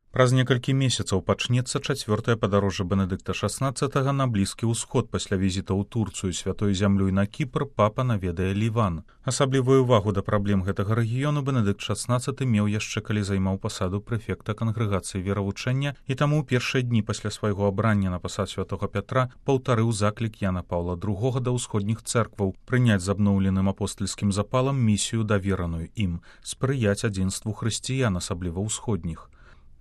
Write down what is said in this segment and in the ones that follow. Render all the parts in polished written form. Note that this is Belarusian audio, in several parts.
Праз некалькі месяцаў пачнецца чацвёртае падарожжа Бенедыкта XVI на Блізкі ўсход пасля візіта ў Турцыю, святой зямлёй на Кіпр, папа наведае Ліван. Асаблівую ўвагу да праблем гэтага рэгіёну Бенедыкт XVI меў яшчэ калі займаў пасаду прэфекта кангрэгацыі веравучэння і таму ў першыя дні пасля свайго абрання на пасад святога Пятра паўтарыў заклік Яна Паўла II да ўсходніх цэркваў прыняць з абноўленым апостальскім запалам місію давераную ім, спрыяць адзінству хрысціян, асабліва ўсходніх.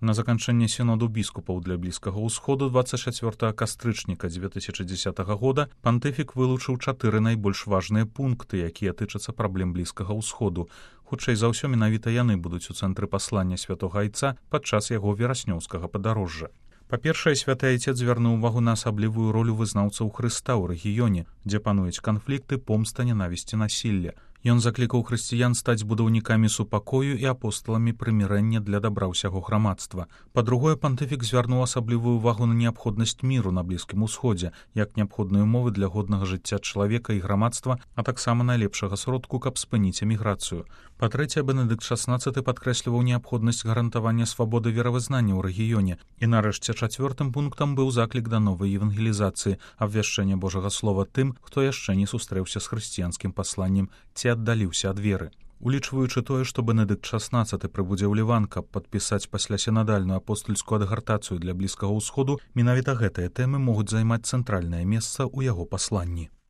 На заканчэнне сіноду біскупаў для Блізкага ўсходу 24 кастрычніка 2010 года пантыфік вылучыў 4 найбольш важныя пункты, якія тычацца праблем Блізкага ўсходу. Хутчэй за ўсё менавіта яны будуць у цэнтры паслання святога айца падчас яго вераснёўскага падарожжа. Па-першае, святы айцец звярнуў увагу на асаблівую ролю вызнаўцаў Хрыста ў рэгіёне, дзе пануюць канфлікты, помста, нянавісці, насілля. Ён заклікаў хрысціян стаць будаўнікамі супакою і апосталамі прымірэння для дабра ўсяго грамадства. Па-другое, пантыфік звярнуў асаблівую увагу на неабходнасць міру на Блізкім усходзе, як неабходныя ўмовы для годнага жыцця чалавека і грамадства, а таксама найлепшага сродку, каб спыніць эміграцыю. Па-трэцяе, Бенедыкт XVI падкрэсліваў неабходнасць гарантавання свабоды веравызнання ў рэгіёне. І нарэшце чацвёртым пунктам быў заклік да новай евангелізацыі, абвяшчэння Божага слова тым, хто яшчэ не сустрэўся з хрысціянскім пасланнем ці аддаліўся ад веры. Улічваючы тое, што Бенедыкт XVI прыбудзе ў Ліван, каб падпісаць пасля сінадальную апостальскую адгартацыю для Блізкага ўсходу, менавіта гэтыя тэмы могуць займаць цэнтральнае месца ў яго пасланні.